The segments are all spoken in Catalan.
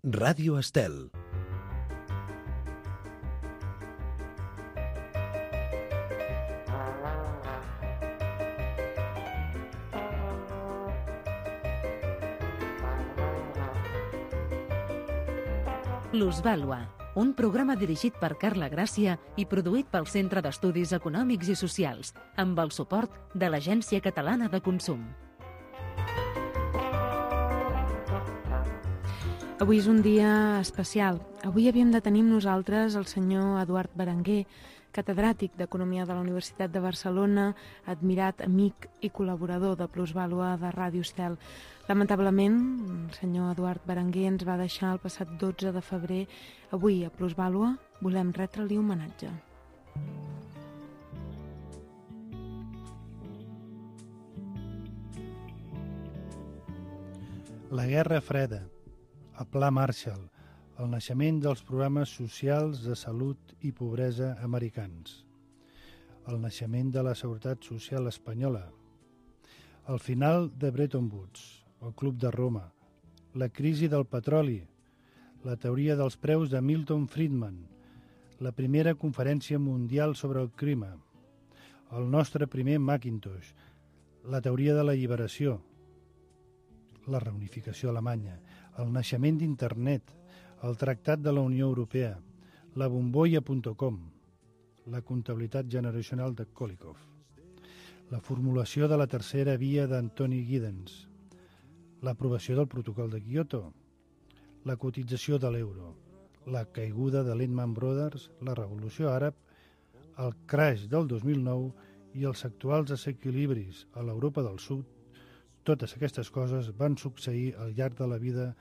Ràdio Estel. Plusvàlua, un programa dirigit per Carla Gràcia i produït pel Centre d'Estudis Econòmics i Socials, amb el suport de l'Agència Catalana de Consum. Avui és un dia especial. Avui havíem de tenir amb nosaltres el senyor Eduard Berenguer, catedràtic d'Economia de la Universitat de Barcelona, admirat amic i col·laborador de Plusvàlua de Ràdio Estel. Lamentablement, el senyor Eduard Berenguer ens va deixar el passat 12 de febrer. Avui, a Plusvàlua, volem retre-li homenatge. La Guerra Freda, el Pla Marshall, el naixement dels programes socials de salut i pobresa americans, el naixement de la Seguretat Social espanyola, el final de Bretton Woods, el Club de Roma, la crisi del petroli, la teoria dels preus de Milton Friedman, la primera conferència mundial sobre el clima, el nostre primer Macintosh, la teoria de l'alliberació, la reunificació alemanya, el naixement d'Internet, el Tractat de la Unió Europea, la bombolla.com, la comptabilitat generacional de Kolykov, la formulació de la tercera via d'Antoni Giddens, l'aprovació del protocol de Kyoto, la cotització de l'euro, la caiguda de Lehman Brothers, la revolució àrab, el crash del 2009 i els actuals desequilibris a l'Europa del Sud. Totes aquestes coses van succeir al llarg de la vida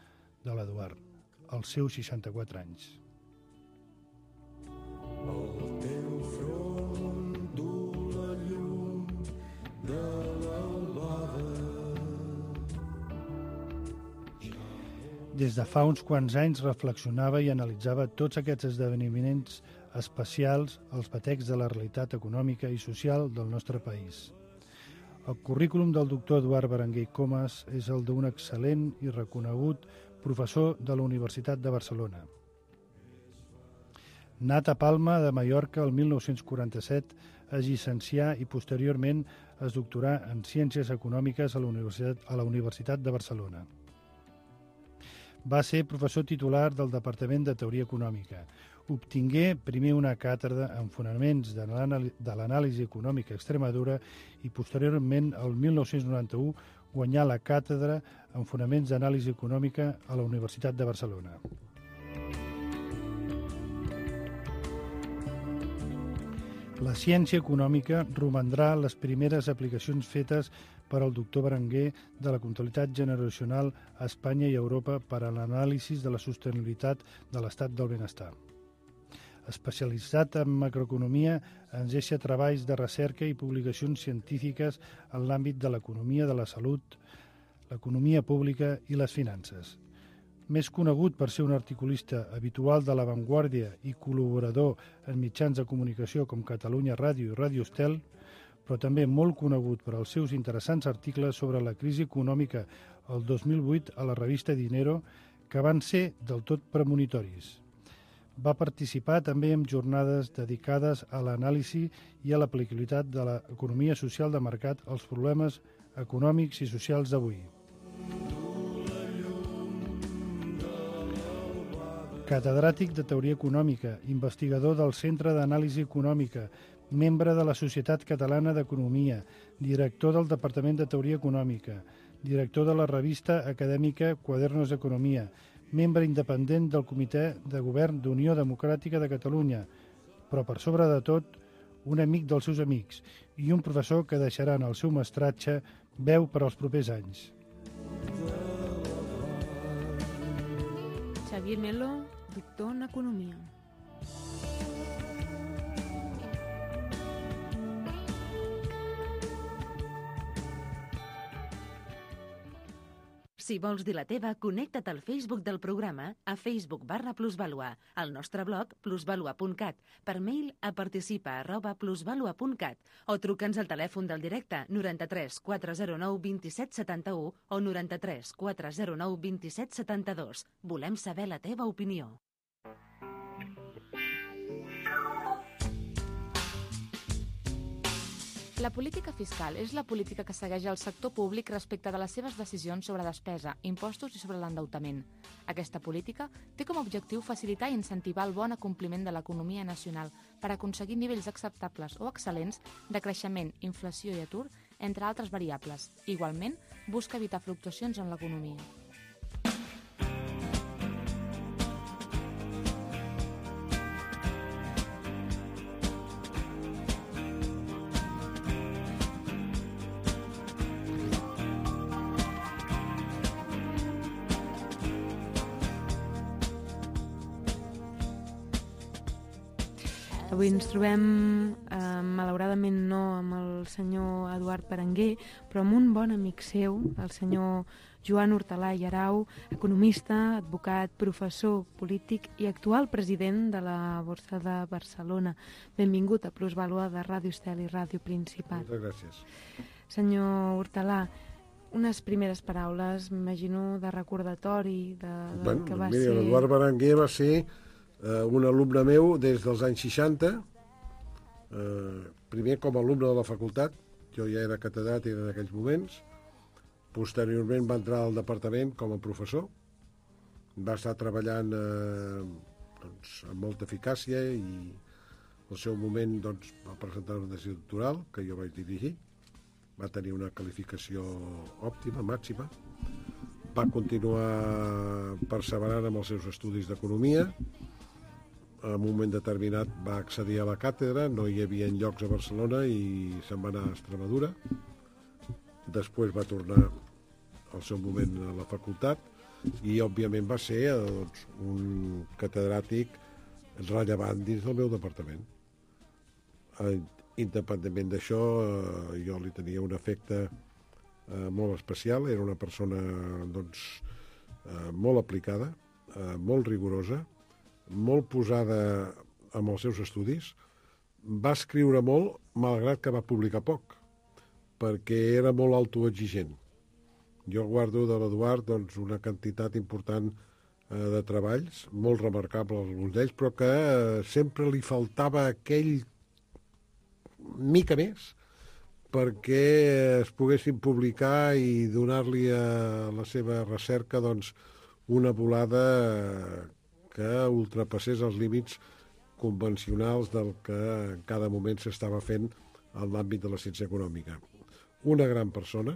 de l'Eduard, als seus 64 anys. El teu front du la llum de l'albada. Des de fa uns quants anys reflexionava i analitzava tots aquests esdeveniments especials als batecs de la realitat econòmica i social del nostre país. El currículum del doctor Eduard Berenguer Comas és el d'un excel·lent i reconegut professor de la Universitat de Barcelona. Nat a Palma de Mallorca el 1947, es llicencià i posteriorment es doctorà en Ciències Econòmiques a la Universitat de Barcelona. Va ser professor titular del Departament de Teoria Econòmica. Obtingué primer una càtedra en fonaments de l'anàlisi econòmica a Extremadura i posteriorment, el 1991, guanyà la càtedra en fonaments d'anàlisi econòmica a la Universitat de Barcelona. La ciència econòmica romandrà les primeres aplicacions fetes per al doctor Berenguer de la comptabilitat generacional a Espanya i Europa per a l'anàlisi de la sostenibilitat de l'estat del benestar. Especialitzat en macroeconomia, ens deixa treballs de recerca i publicacions científiques en l'àmbit de l'economia de la salut, l'economia pública i les finances. Més conegut per ser un articulista habitual de La Vanguardia i col·laborador en mitjans de comunicació com Catalunya Ràdio i Ràdio Estel, però també molt conegut per als seus interessants articles sobre la crisi econòmica el 2008 a la revista Dinero, que van ser del tot premonitoris. Va participar també en jornades dedicades a l'anàlisi i a l'aplicabilitat de l'economia social de mercat als problemes econòmics i socials d'avui. Catedràtic de Teoria Econòmica, investigador del Centre d'Anàlisi Econòmica, membre de la Societat Catalana d'Economia, director del Departament de Teoria Econòmica, director de la revista acadèmica Quadernos d'Economia, membre independent del Comitè de Govern d'Unió Democràtica de Catalunya, però per sobre de tot, un amic dels seus amics i un professor que deixarà en el seu mestratge veu per als propers anys. Xavier Melo, doctor en Economia. Si vols dir la teva, connecta't al Facebook del programa a Facebook/plusvalua, al nostre blog plusvalua.cat, per mail a participa@plusvalua.cat o truca'ns al telèfon del directe 93 409 27 71 o 93 409 27 72. Volem saber la teva opinió. La política fiscal és la política que segueix el sector públic respecte de les seves decisions sobre despesa, impostos i sobre l'endeutament. Aquesta política té com a objectiu facilitar i incentivar el bon acompliment de l'economia nacional per aconseguir nivells acceptables o excel·lents de creixement, inflació i atur, entre altres variables. Igualment, busca evitar fluctuacions en l'economia. Avui ens trobem, malauradament no amb el senyor Eduard Berenguer, però amb un bon amic seu, el senyor Joan Hortalà i Arau, economista, advocat, professor, polític i actual president de la Borsa de Barcelona. Benvingut a Plusvalua de Ràdio Estel i Ràdio Principat. Moltes gràcies. Senyor Hortalà, unes primeres paraules, m'imagino, de recordatori del que va ser... L'Eduard Berenguer va ser un alumne meu des dels anys 60, primer com a alumne de la facultat, jo ja era catedràtic en aquells moments, posteriorment va entrar al departament com a professor, va estar treballant amb molta eficàcia i al seu moment va presentar una tesi doctoral que jo vaig dirigir, va tenir una qualificació òptima, màxima, va continuar perseverant amb els seus estudis d'economia. En un moment determinat va accedir a la càtedra, no hi havia llocs a Barcelona i se'n va anar a Extremadura. Després va tornar al seu moment a la facultat i, òbviament, va ser un catedràtic rellevant dins del meu departament. Independentment d'això, jo li tenia un afecte molt especial. Era una persona molt aplicada, molt rigorosa, molt posada amb els seus estudis. Va escriure molt, malgrat que va publicar poc, perquè era molt autoexigent. Jo guardo de l'Eduard una quantitat important de treballs, molt remarcables alguns d'ells, però que sempre li faltava aquell mica més perquè es poguessin publicar i donar-li a la seva recerca una volada que ultrapassés els límits convencionals del que en cada moment s'estava fent en l'àmbit de la ciència econòmica. Una gran persona,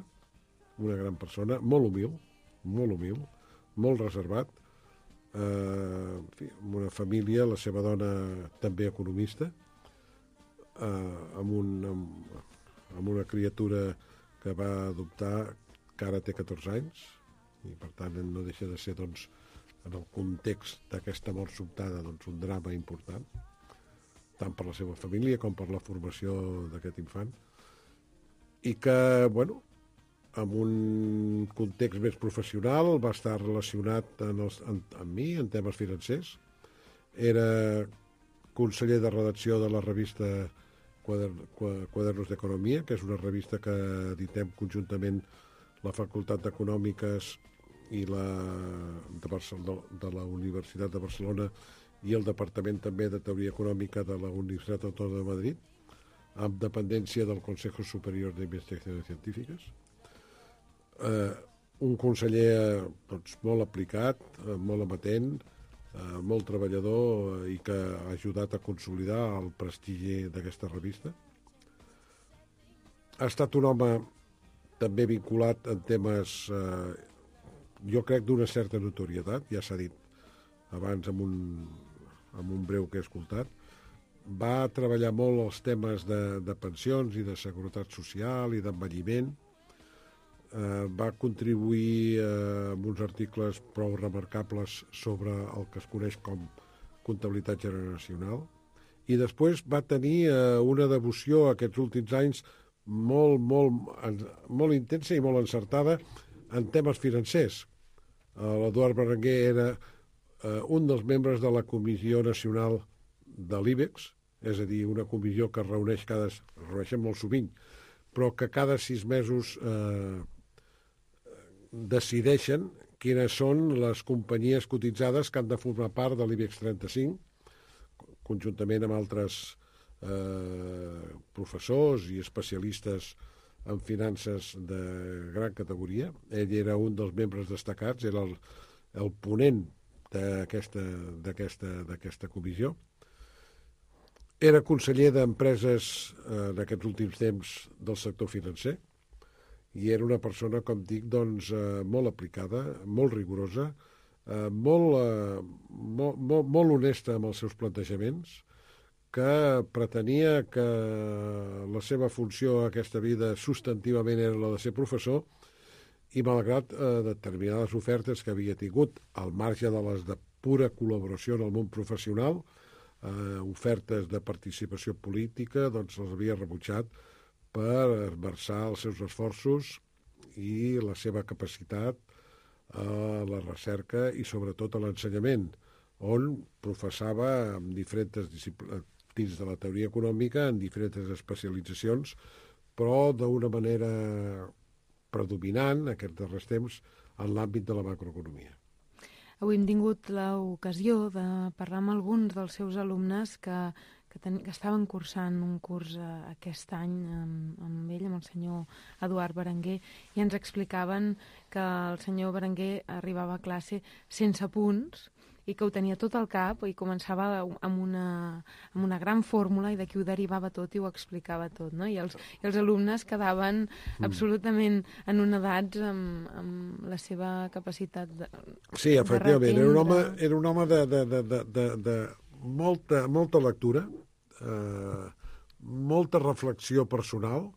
molt humil, molt reservat, amb una família, la seva dona també economista, amb una criatura que va adoptar, que ara té 14 anys, i per tant no deixa de ser, en el context d'aquesta mort sobtada, un drama important, tant per la seva família com per la formació d'aquest infant, i que, en un context més professional va estar relacionat amb mi en temes financers. Era conseller de redacció de la revista Quadernos d'Economia, que és una revista que editem conjuntament la Facultat d'Econòmiques i de la Universitat de Barcelona i el Departament també de Teoria Econòmica de la Universitat Autònoma de Madrid, amb dependència del Consejo Superior de Investigaciones Científiques. Un conseller molt aplicat, molt amatent, molt treballador i que ha ajudat a consolidar el prestigi d'aquesta revista. Ha estat un home també vinculat en temes, jo crec, d'una certa notorietat, ja s'ha dit abans amb un breu que he escoltat. Va treballar molt els temes de pensions i de seguretat social i d'envelliment. Va contribuir amb uns articles prou remarcables sobre el que es coneix com comptabilitat generacional i després va tenir una devoció aquests últims anys molt intensa i molt encertada en temes financers. L'Eduard Berenguer era un dels membres de la Comissió Nacional de l'IBEX, és a dir, una comissió que es reuneixen molt sovint, però que cada 6 mesos decideixen quines són les companyies cotitzades que han de formar part de l'IBEX 35, conjuntament amb altres professors i especialistes en finances de gran categoria. Ell era un dels membres destacats, era el ponent d'aquesta comissió. Era conseller d'empreses en aquests últims temps del sector financer i era una persona, com dic, doncs, molt aplicada, molt rigorosa, molt honesta amb els seus plantejaments, que pretenia que la seva funció a aquesta vida substantivament era la de ser professor i malgrat determinades ofertes que havia tingut al marge de les de pura col·laboració en el món professional, ofertes de participació política, doncs les havia rebutjat per esmerçar els seus esforços i la seva capacitat a la recerca i sobretot a l'ensenyament, on professava en diferents disciplines dins de la teoria econòmica, en diferents especialitzacions, però d'una manera predominant, aquests darrers temps, en l'àmbit de la macroeconomia. Avui hem tingut l'ocasió de parlar amb alguns dels seus alumnes que estaven cursant un curs aquest any amb ell, amb el senyor Eduard Berenguer, i ens explicaven que el senyor Berenguer arribava a classe sense punts i que ho tenia tot al cap i començava amb una gran fórmula i d'aquí ho derivava tot i ho explicava tot, no? I els alumnes quedaven absolutament anonadats amb la seva capacitat de Sí, efectivament, era un home de molta lectura, molta reflexió personal.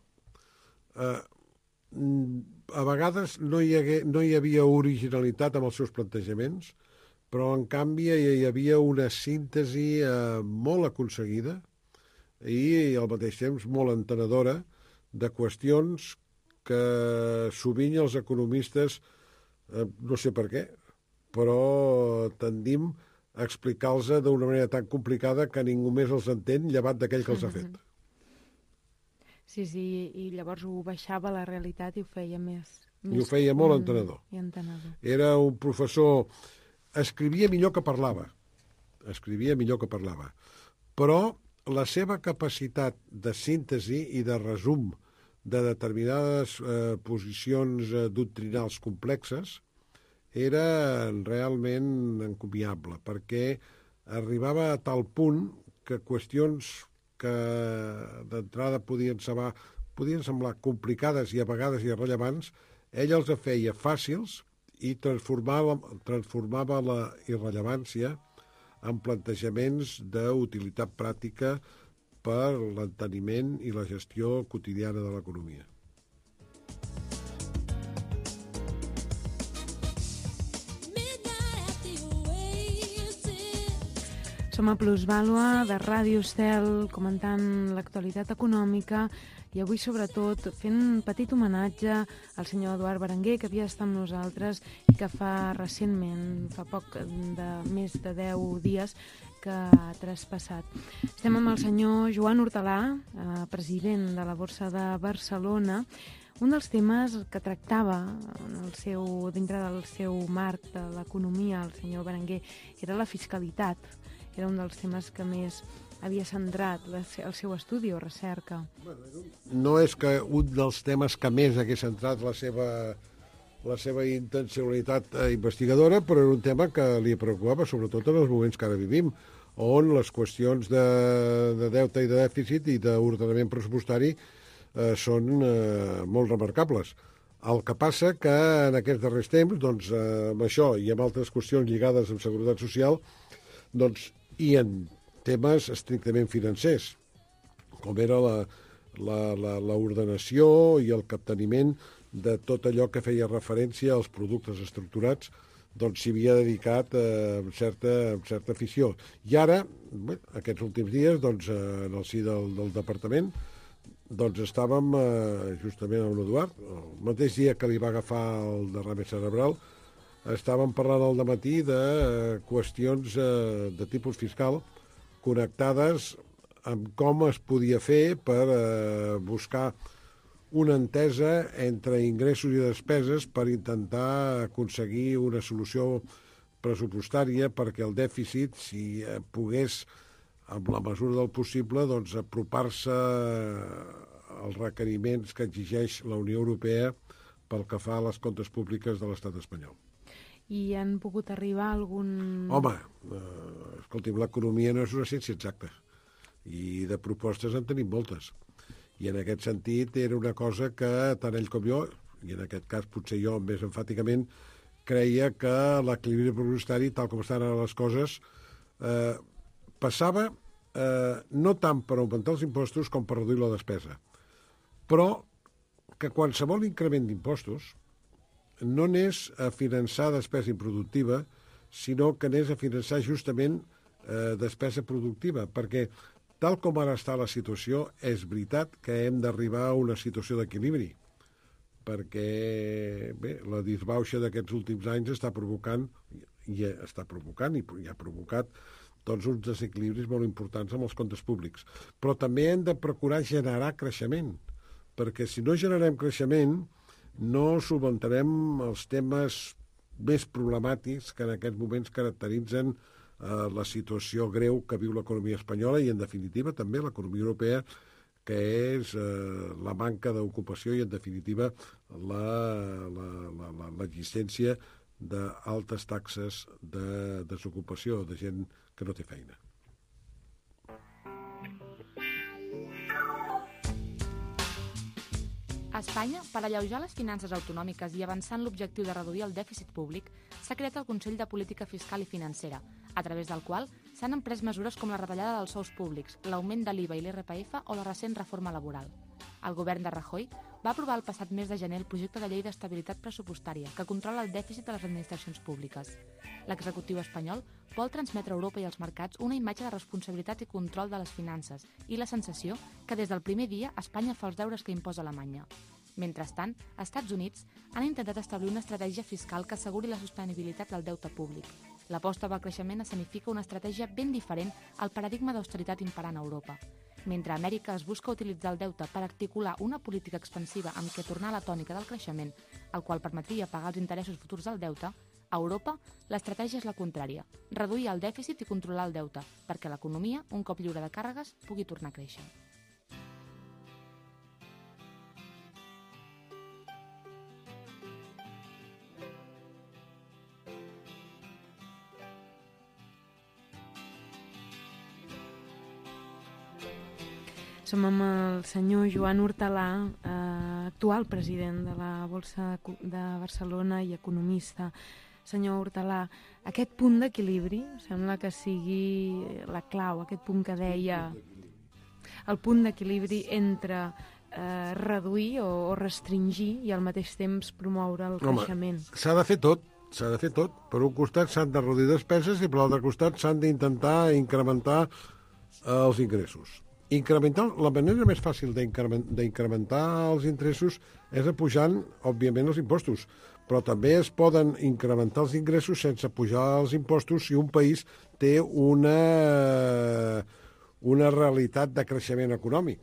A vegades no hi havia originalitat amb els seus plantejaments, però en canvi hi havia una síntesi molt aconseguida i al mateix temps molt entenedora de qüestions que sovint els economistes, no sé per què, però tendim a explicar-los d'una manera tan complicada que ningú més els entén llevat d'aquell que els ha fet. Sí, i llavors ho baixava a la realitat i ho feia més... I ho feia molt entenedor. Era un professor... Escrivia millor que parlava, però la seva capacitat de síntesi i de resum de determinades posicions doctrinals complexes era realment encomiable, perquè arribava a tal punt que qüestions que d'entrada podien semblar complicades i a vegades irrellevants, ell els feia fàcils i transformava la irrellevància en plantejaments d'utilitat pràctica per l'enteniment i la gestió quotidiana de l'economia. Som a Plusvàlua de Ràdio Estel comentant l'actualitat econòmica i avui sobretot fent un petit homenatge al senyor Eduard Berenguer, que havia estat amb nosaltres i que fa poc de més de 10 dies que ha traspassat. Estem amb el senyor Joan Hortalà, president de la Borsa de Barcelona. Un dels temes que tractava dintre del seu marc de l'economia, el senyor Berenguer, era la fiscalitat. Era un dels temes que més havia centrat el seu estudi o recerca. No és que un dels temes que més hagués centrat la seva intencionalitat investigadora, però era un tema que li preocupava, sobretot en els moments que ara vivim, on les qüestions de deute i de dèficit i d'ordenament pressupostari són molt remarcables. El que passa que en aquests darrers temps, doncs, amb això i amb altres qüestions lligades amb seguretat social, doncs, i en temes estrictament financers, com era l'ordenació i el capteniment de tot allò que feia referència als productes estructurats, doncs s'hi havia dedicat amb certa afició. I ara, aquests últims dies, doncs, en el si del departament, doncs estàvem justament amb l'Eduard, el mateix dia que li va agafar el derrame cerebral, estàvem parlant al dematí de qüestions de tipus fiscal connectades amb com es podia fer per buscar una entesa entre ingressos i despeses per intentar aconseguir una solució pressupostària perquè el dèficit, si pogués, amb la mesura del possible, doncs apropar-se als requeriments que exigeix la Unió Europea pel que fa a les comptes públiques de l'estat espanyol. I han pogut arribar a algun... Home, escolti'm, l'economia no és una ciència exacta i de propostes en tenim moltes. I en aquest sentit era una cosa que tant ell com jo, i en aquest cas potser jo més enfàticament, creia que l'equilibri pressupostari, tal com estan ara les coses, passava no tant per augmentar els impostos com per reduir la despesa, però que qualsevol increment d'impostos no anés a finançar despesa improductiva, sinó que anés a finançar justament despesa productiva, perquè tal com ara està la situació, és veritat que hem d'arribar a una situació d'equilibri, perquè bé, la disbauxa d'aquests últims anys està provocant i ha provocat doncs, uns desequilibris molt importants amb els comptes públics. Però també hem de procurar generar creixement, perquè si no generem creixement no solventarem els temes més problemàtics que en aquests moments caracteritzen la situació greu que viu l'economia espanyola i, en definitiva, també l'economia europea, que és la manca d'ocupació i, en definitiva, l'existència d'altes taxes de desocupació, de gent que no té feina. A Espanya, per alleujar les finances autonòmiques i avançar en l'objectiu de reduir el dèficit públic, s'ha creat el Consell de Política Fiscal i Financera, a través del qual s'han emprès mesures com la retallada dels sous públics, l'augment de l'IVA i l'IRPF o la recent reforma laboral. El govern de Rajoy va aprovar el passat mes de gener el projecte de llei d'estabilitat pressupostària que controla el dèficit de les administracions públiques. L'executiu espanyol vol transmetre a Europa i als mercats una imatge de responsabilitat i control de les finances i la sensació que des del primer dia Espanya fa els deures que imposa Alemanya. Mentrestant, als Estats Units han intentat establir una estratègia fiscal que asseguri la sostenibilitat del deute públic. L'aposta pel creixement escenifica una estratègia ben diferent al paradigma d'austeritat imperant a Europa. Mentre a Amèrica es busca utilitzar el deute per articular una política expansiva amb què tornar a la tònica del creixement, el qual permetria pagar els interessos futurs del deute, a Europa l'estratègia és la contrària, reduir el dèficit i controlar el deute, perquè l'economia, un cop lliure de càrregues, pugui tornar a créixer. Som amb el senyor Joan Hortalà, actual president de la Borsa de Barcelona i economista. Senyor Hortalà, aquest punt d'equilibri sembla que sigui la clau, aquest punt que deia el punt d'equilibri entre reduir o restringir i al mateix temps promoure el creixement. S'ha de fer tot. Per un costat s'han de reduir despeses i per l'altre costat s'han d'intentar incrementar els ingressos. La manera més fàcil d'incrementar els ingressos és apujant, òbviament, els impostos, però també es poden incrementar els ingressos sense pujar els impostos si un país té una realitat de creixement econòmic.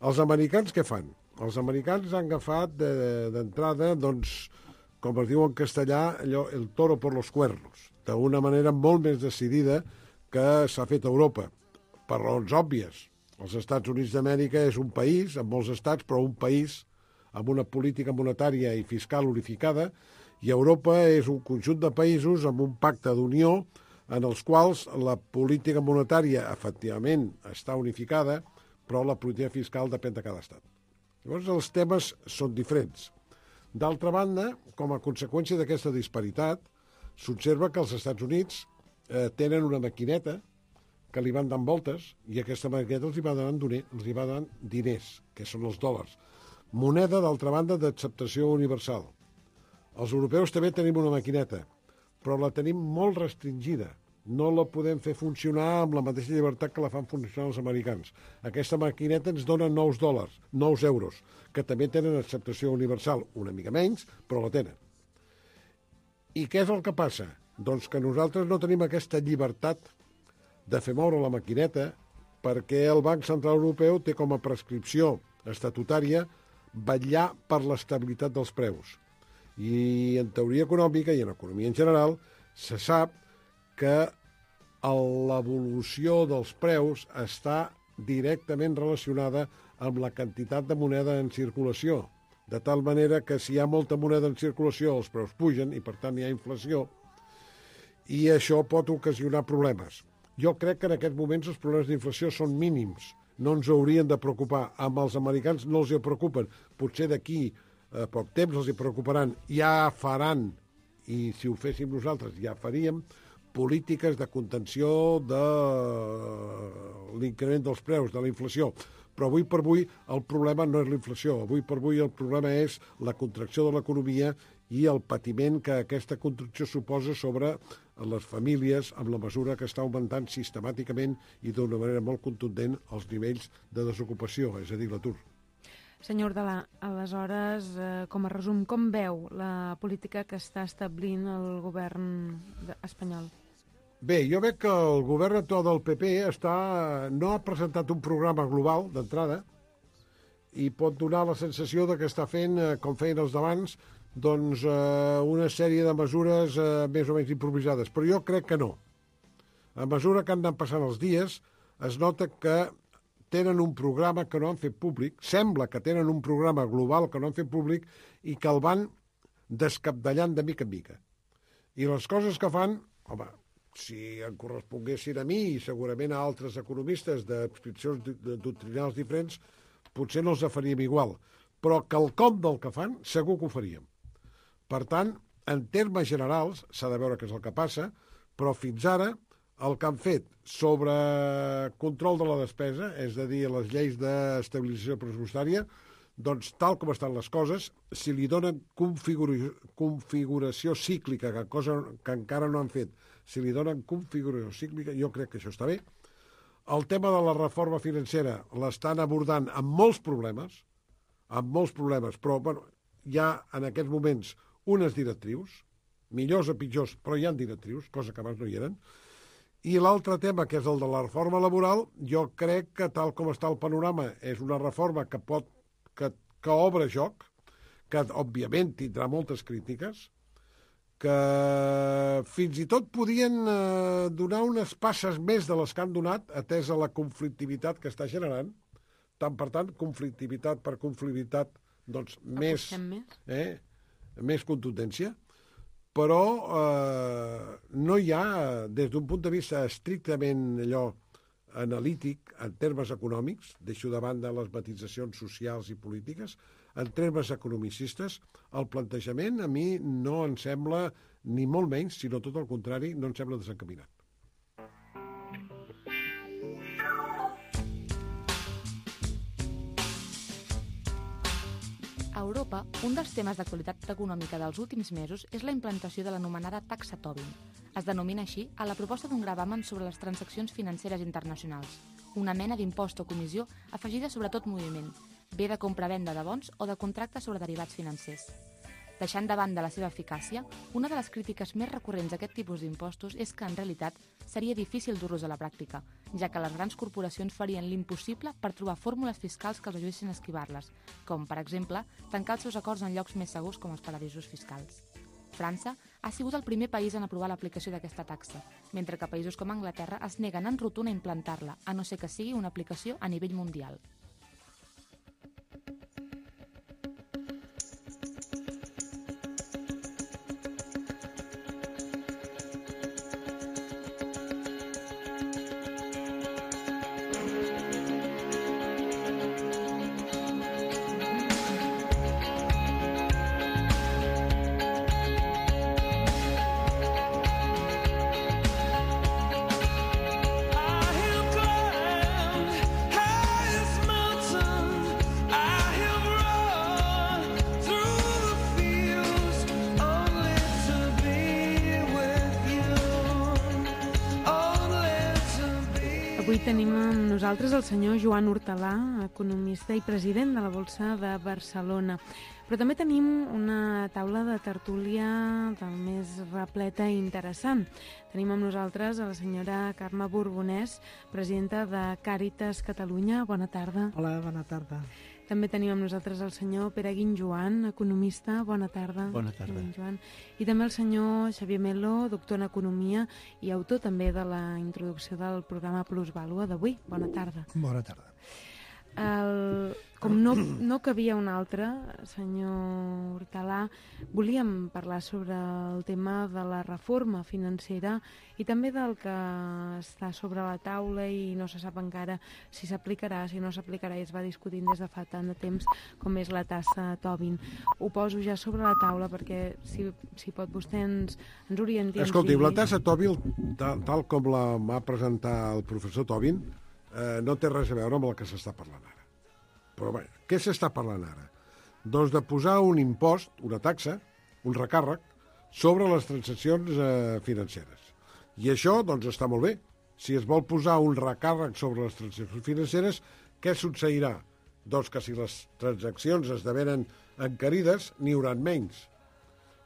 Els americans què fan? Els americans han agafat d'entrada, doncs, com es diu en castellà, allò, el toro por los cuernos, d'una manera molt més decidida que s'ha fet a Europa, per raons òbvies. Els Estats Units d'Amèrica és un país, amb molts estats, però un país amb una política monetària i fiscal unificada, i Europa és un conjunt de països amb un pacte d'unió en els quals la política monetària efectivament està unificada, però la política fiscal depèn de cada estat. Llavors els temes són diferents. D'altra banda, com a conseqüència d'aquesta disparitat, s'observa que els Estats Units tenen una maquineta que li van dant voltes i aquesta maquineta els hi va donant diners, que són els dòlars. Moneda, d'altra banda, d'acceptació universal. Els europeus també tenim una maquineta, però la tenim molt restringida. no la podem fer funcionar amb la mateixa llibertat que la fan funcionar els americans. Aquesta maquineta ens dona $9, 9 euros, que també tenen acceptació universal, una mica menys, però la tenen. I què és el que passa? Doncs que nosaltres no tenim aquesta llibertat de fer moure la maquineta perquè el Banc Central Europeu té com a prescripció estatutària vetllar per l'estabilitat dels preus. I en teoria econòmica i en economia en general se sap que l'evolució dels preus està directament relacionada amb la quantitat de moneda en circulació, de tal manera que si hi ha molta moneda en circulació els preus pugen i per tant hi ha inflació i això pot ocasionar problemes. Jo crec que en aquests moments els problemes d'inflació són mínims, no ens haurien de preocupar. Amb els americans no els hi preocupen, potser d'aquí a poc temps els hi preocuparan, ja faran, i si ho féssim nosaltres ja faríem, polítiques de contenció de l'increment dels preus, de la inflació. Però avui per avui el problema no és la inflació, avui per avui el problema és la contracció de l'economia i el patiment que aquesta contracció suposa sobre les famílies amb la mesura que està augmentant sistemàticament i d'una manera molt contundent els nivells de desocupació, és a dir, l'atur. Senyor Hortalà, aleshores, com a resum, com veu la política que està establint el govern espanyol? Bé, jo veig que el govern actual del PP no ha presentat un programa global d'entrada i pot donar la sensació de que està fent, com feien els d'abans, doncs una sèrie de mesures més o menys improvisades. Però jo crec que no. A mesura que han anat passant els dies, es nota que tenen un programa que no han fet públic, sembla que tenen un programa global que no han fet públic i que el van descapdallant de mica en mica. I les coses que fan, home, si em corresponguessin a mi i segurament a altres economistes d'adscripcions doctrinals diferents, potser no els faríem igual. Però quelcom del que fan segur que ho faríem. Per tant, en termes generals, s'ha de veure què és el que passa, però fins ara el que han fet sobre control de la despesa, és a dir, les lleis d'estabilització pressupostària, doncs tal com estan les coses, si li donen configuració cíclica, cosa que encara no han fet, si li donen configuració cíclica, jo crec que això està bé. El tema de la reforma financera l'estan abordant amb molts problemes, però bueno, hi ha en aquests moments unes directrius, millors o pitjors, però hi ha directrius, cosa que abans no hi eren. I l'altre tema, que és el de la reforma laboral, jo crec que tal com està el panorama és una reforma que obre joc, que òbviament tindrà moltes crítiques, que fins i tot podien donar unes passes més de les que han donat, atès a la conflictivitat que està generant. Tant per tant, conflictivitat per conflictivitat, doncs més contundència. Però no hi ha, des d'un punt de vista estrictament analític, en termes econòmics, deixo de banda les matitzacions socials i polítiques, en termes economicistes, el plantejament a mi no em sembla ni molt menys, sinó tot el contrari, no em sembla desencaminat. A Europa, un dels temes d'actualitat econòmica dels últims mesos és la implantació de l'anomenada taxa Tobin. Es denomina així a la proposta d'un gravamen sobre les transaccions financeres internacionals, una mena d'impost o comissió afegida sobre tot moviment, bé de compra-venda de bons o de contractes sobre derivats financers. Deixant de banda la seva eficàcia, una de les crítiques més recurrents a aquest tipus d'impostos és que, en realitat, seria difícil dur-los a la pràctica, ja que les grans corporacions farien l'impossible per trobar fórmules fiscals que els ajudessin a esquivar-les, com, per exemple, tancar els seus acords en llocs més segurs com els paradisos fiscals. França ha sigut el primer país en aprovar l'aplicació d'aquesta taxa, mentre que països com Anglaterra es neguen en rotund a implantar-la, a no ser que sigui una aplicació a nivell mundial. I am grand, high as my Avui tenim amb nosaltres el senyor Joan Hortalà, economista i president de la Borsa de Barcelona. Però també tenim una taula de tertúlia del més repleta i interessant. Tenim amb nosaltres a la senyora Carme Borbonès, presidenta de Càritas Catalunya. Bona tarda. Hola, bona tarda. També tenim amb nosaltres el senyor Pere Guinjoan, economista. Bona tarda. Bona tarda. Joan. I també el senyor Xavier Melo, doctor en Economia i autor també de la introducció del programa Plusvàlua d'avui. Bona tarda. Bona tarda. Com no cabia un altre, senyor Hortalà, volíem parlar sobre el tema de la reforma financera i també del que està sobre la taula i no se sap encara si s'aplicarà, si no s'aplicarà, i es va discutint des de fa tant de temps com és la tassa Tobin. Ho poso ja sobre la taula perquè si pot vostè ens orienti. Escolti, la tassa Tobin, tal com la va presentar el professor Tobin, no té res a veure amb el que s'està parlant ara. Però bé, què s'està parlant ara? Doncs de posar un impost, una taxa, un recàrrec, sobre les transaccions financeres. I això, doncs, està molt bé. Si es vol posar un recàrrec sobre les transaccions financeres, què succeirà? Doncs que si les transaccions esdevenen encarides, n'hi haurà menys.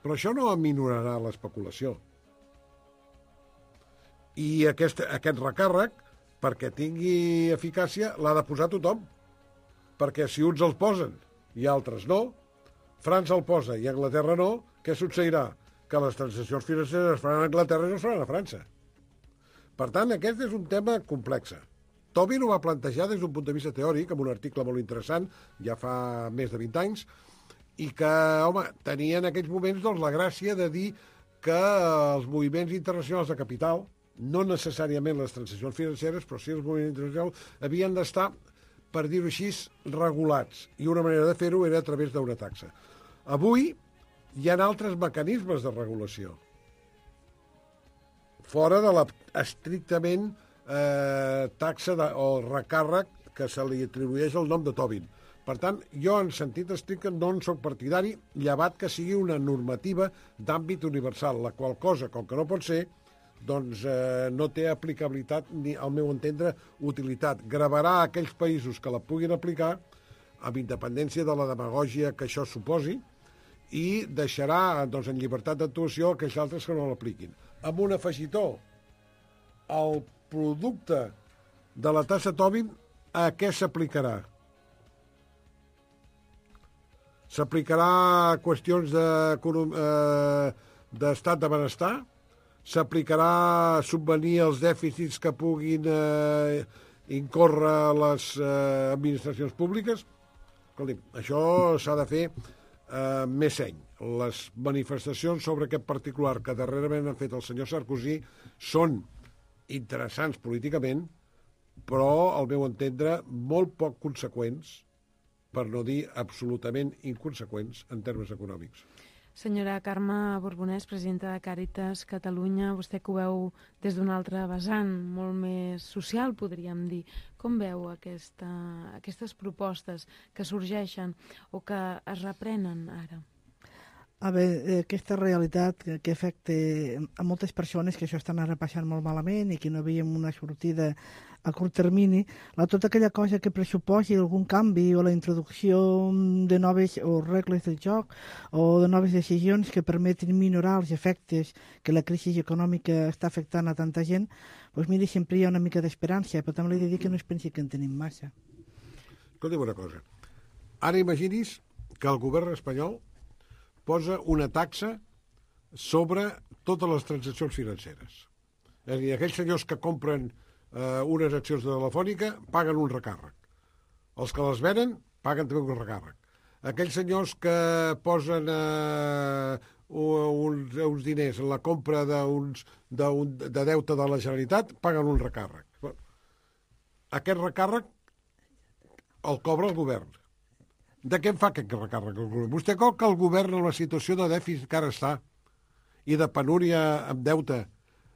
Però això no aminorarà l'especulació. I aquest recàrrec, perquè tingui eficàcia, l'ha de posar tothom. Perquè si uns el posen i altres no, França el posa i Anglaterra no, què succeirà? Que les transaccions financeres es faran a Anglaterra i no es faran a França. Per tant, aquest és un tema complex. Tobin ho va plantejar des d'un punt de vista teòric, amb un article molt interessant, ja fa més de 20 anys, i que, home, tenia en aquells moments doncs, la gràcia de dir que els moviments internacionals de capital, no necessàriament les transaccions financeres, però sí els moviments internacionals, havien d'estar, per dir-ho així, regulats. I una manera de fer-ho era a través d'una taxa. Avui hi ha altres mecanismes de regulació. Fora de la estrictament taxa o recàrrec que se li atribueix el nom de Tobin. Per tant, jo en sentit estricte no en soc partidari, llevat que sigui una normativa d'àmbit universal, la qual cosa, com que no pot ser, doncs no té aplicabilitat ni, al meu entendre, utilitat. Gravarà aquells països que la puguin aplicar, amb independència de la demagògia que això suposi, i deixarà doncs, en llibertat d'actuació aquells altres que no l'apliquin. Amb un afegitó, el producte de la tassa Tobin a què s'aplicarà? S'aplicarà a qüestions d'estat de benestar? S'aplicarà a subvenir els dèficits que puguin incórrer les administracions públiques? Escolti, això s'ha de fer més seny. Les manifestacions sobre aquest particular que darrerament han fet el senyor Sarkozy són interessants políticament, però, al meu entendre, molt poc conseqüents, per no dir absolutament inconseqüents en termes econòmics. Senyora Carme Borbonès, presidenta de Càritas Catalunya, vostè que ho veu des d'un altre vessant, molt més social, podríem dir. Com veu aquestes propostes que sorgeixen o que es reprenen ara? A veure, aquesta realitat que afecta a moltes persones que això estan ara passant molt malament i que no veiem una sortida a curt termini, tota aquella cosa que pressuposi algun canvi o la introducció de noves o regles del joc o de noves decisions que permetin minorar els efectes que la crisi econòmica està afectant a tanta gent, doncs miri, sempre hi ha una mica d'esperança, però també li he de dir que no es pensi que en tenim massa. Escolta'm una cosa. Ara imagini's que el govern espanyol posa una taxa sobre totes les transaccions financeres. És a dir, aquells senyors que compren unes accions de Telefònica paguen un recàrrec. Els que les venen paguen també un recàrrec. Aquells senyors que posen uns diners en la compra de deute de la Generalitat paguen un recàrrec. Aquest recàrrec el cobra el govern. De què en fa aquest recàrrec el govern? Vostè creu que el govern en la situació de dèficit que ara està i de penúria amb deute,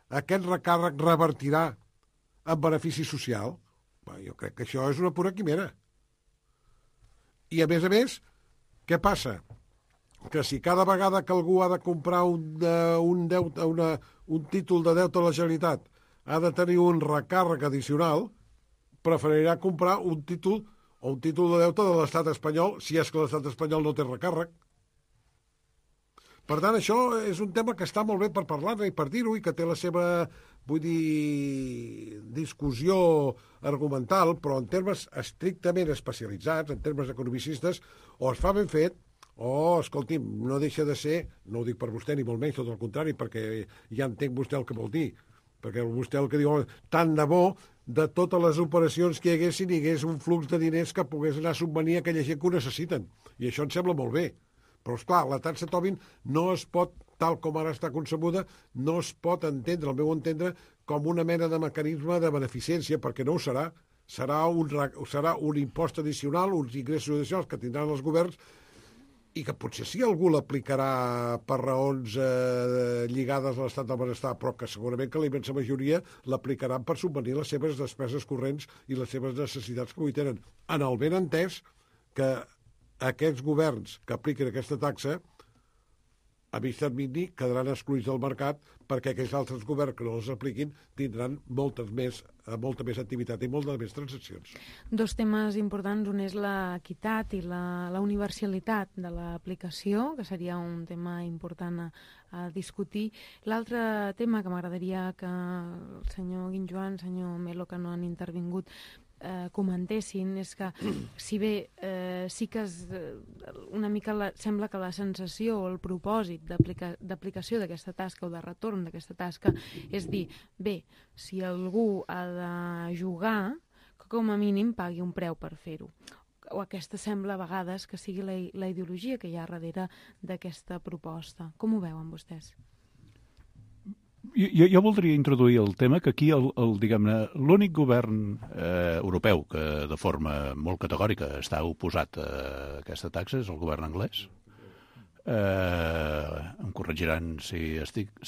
aquest recàrrec revertirà en benefici social? Bé, jo crec que això és una pura quimera. I a més, què passa? Que si cada vegada que algú ha de comprar un títol de deute a la Generalitat ha de tenir un recàrrec addicional, preferirà comprar un títol o un títol de deute de l'estat espanyol, si és que l'estat espanyol no té recàrrec. Per tant, això és un tema que està molt bé per parlar-ne i per dir-ho, i que té la seva, vull dir, discussió argumental, però en termes estrictament especialitzats, en termes economicistes, o es fa ben fet, o, escolti'm, no deixa de ser, no ho dic per vostè ni molt menys, tot el contrari, perquè ja entenc vostè el que vol dir, perquè vostè el que diu, tant de bo de totes les operacions que hi hagués un flux de diners que pogués anar a subvenir a aquella gent que ho necessiten. I això em sembla molt bé. Però, esclar, la taxa Tobin no es pot, tal com ara està concebuda, no es pot entendre, al meu entendre, com una mena de mecanisme de beneficència, perquè no ho serà. Serà un impost addicional, uns ingressos addicionals que tindran els governs, i que potser sí algú l'aplicarà per raons lligades a l'estat del benestar, però que segurament que la immensa majoria l'aplicaran per subvenir les seves despeses corrents i les seves necessitats que avui tenen. En el ben entès que aquests governs que apliquen aquesta taxa a mig termini quedaran excluïts del mercat, perquè aquells altres governs que no els apliquin tindran molta més activitat i moltes més transaccions. Dos temes importants, un és l'equitat i la universalitat de l'aplicació, que seria un tema important a discutir. L'altre tema que m'agradaria que el senyor Guinjoan, el senyor Melo, que no han intervingut, comentessin, és que si bé sí que una mica sembla que la sensació o el propòsit d'aplicació d'aquesta tasca o de retorn d'aquesta tasca és dir, bé, si algú ha de jugar, que com a mínim pagui un preu per fer-ho. O aquesta sembla a vegades que sigui la ideologia que hi ha darrere d'aquesta proposta. Com ho veuen vostès? Jo voldria introduir el tema que aquí diguem-ne, l'únic govern europeu que de forma molt categòrica està oposat a aquesta taxa és el govern anglès. Em corregiran si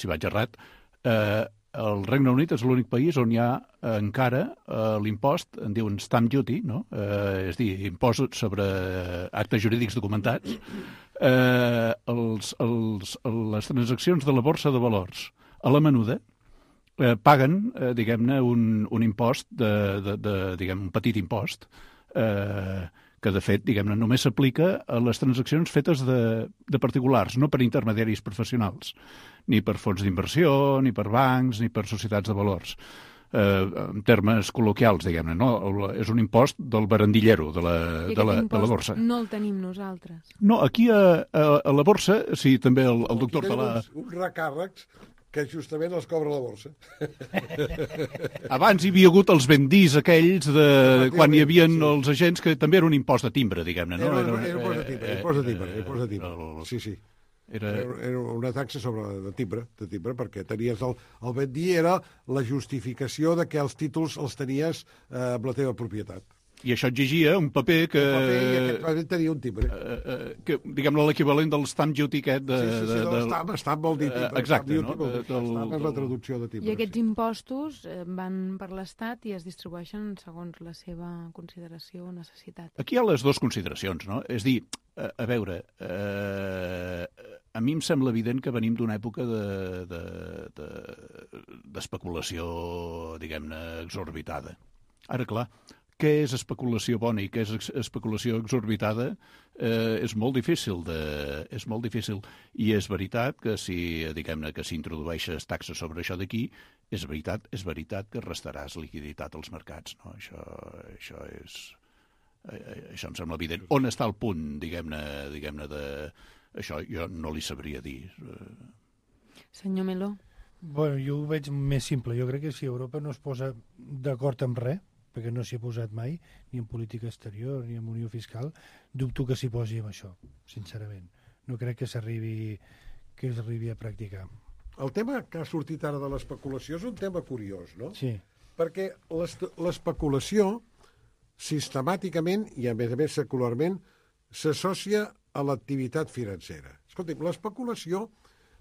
vaig errat. El Regne Unit és l'únic país on hi ha encara l'impost, en diuen stamp duty, no? És a dir, impost sobre actes jurídics documentats, les transaccions de la borsa de valors a la menuda paguen, diguem-ne, un impost, diguem, un petit impost, que de fet, diguem-ne, només s'aplica a les transaccions fetes de particulars, no per intermediaris professionals, ni per fons d'inversió, ni per bancs, ni per societats de valors. En termes col·loquials, diguem-ne, no? És un impost del barandillero de la borsa. No el tenim nosaltres. No, aquí a la borsa, sí, també el doctor Talà... Uns recàrrecs que justament els cobra la borsa. Abans hi havia hagut els vendís aquells de quan hi havia els agents, que també era un impost de timbre, diguem-ne, no? Era impost de timbre. Sí. Era una taxa de timbre, perquè tenies el vendí era la justificació de que els títols els tenies amb la teva propietat. I això exigia un paper que... I aquest paper tenia un timbre. Que, diguem-ne, l'equivalent del stamp duty aquest stamp vol dir timbre. Exacte, no? Stamp és la traducció de timbre. I aquests impostos van per l'Estat i es distribueixen segons la seva consideració o necessitat. Aquí hi ha les dues consideracions, no? És dir, a veure, a mi em sembla evident que venim d'una època d'especulació, diguem-ne, exorbitada. Ara, clar, què és especulació bona i què és especulació exorbitada és molt difícil. I és veritat que si introdueixes taxes sobre això d'aquí, és veritat que restaràs liquiditat als mercats. No? Això em sembla evident. On està el punt, diguem-ne, això jo no li sabria dir. Senyor Meló? Bueno, jo ho veig més simple. Jo crec que si Europa no es posa d'acord amb res, perquè no s'hi ha posat mai, ni en política exterior, ni en unió fiscal, dubto que s'hi posi amb això, sincerament. No crec que s'arribi a practicar. El tema que ha sortit ara de l'especulació és un tema curiós, no? Sí. Perquè l'especulació, sistemàticament i a més secularment, s'associa a l'activitat financera. Escolti'm, l'especulació,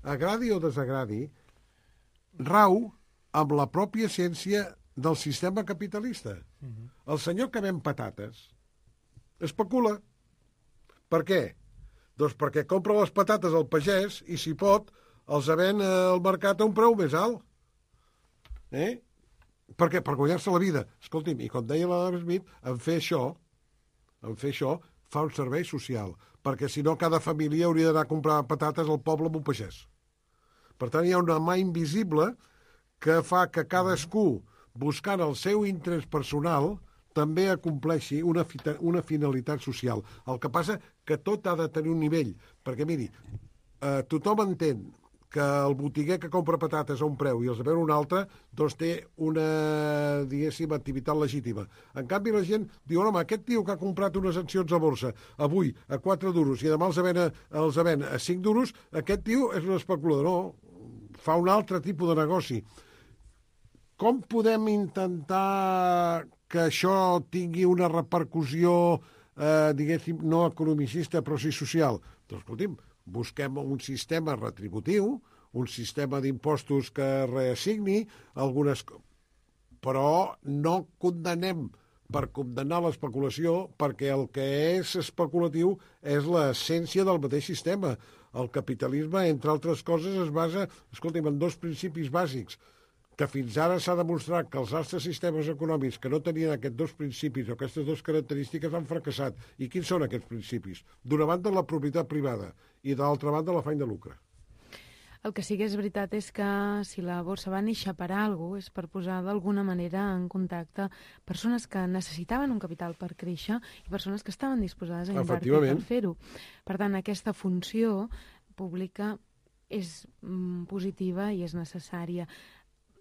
agradi o desagradi, rau amb la pròpia essència del sistema capitalista. El senyor que ven patates especula. Per què? Doncs perquè compra les patates al pagès i, si pot, els ven al mercat a un preu més alt. Per què? Per guanyar-se la vida. Escolti'm, i com deia l'Adam Smith, en fer això fa un servei social, perquè si no cada família hauria d'anar a comprar patates al poble amb un pagès. Per tant, hi ha una mà invisible que fa que cadascú, buscant el seu interès personal, també acompleixi una finalitat social. El que passa que tot ha de tenir un nivell, perquè miri, tothom entén que el botiguer que compra patates a un preu i els de veure un altre, doncs té una, diguéssim, activitat legítima. En canvi, la gent diu, home, aquest tio que ha comprat unes accions a borsa avui a 4 duros i demà els ven a 5 duros, aquest tio és un especulador. No, fa un altre tipus de negoci. Com podem intentar que això tingui una repercussió, diguéssim, no economicista, però sí social? Doncs, escolti'm, busquem un sistema retributiu, un sistema d'impostos que reassigni algunes... Però no condemnem per condemnar l'especulació, perquè el que és especulatiu és l'essència del mateix sistema. El capitalisme, entre altres coses, es basa, escolti'm, en 2 principis bàsics, que fins ara s'ha demostrat que els altres sistemes econòmics que no tenien aquests 2 principis o aquestes 2 característiques han fracassat. I quins són aquests principis? D'una banda, la propietat privada i de l'altra banda, l'afany de lucre. El que sí que és veritat és que si la borsa va néixer per alguna cosa és per posar d'alguna manera en contacte persones que necessitaven un capital per créixer i persones que estaven disposades a invertir per fer-ho. Per tant, aquesta funció pública és positiva i és necessària.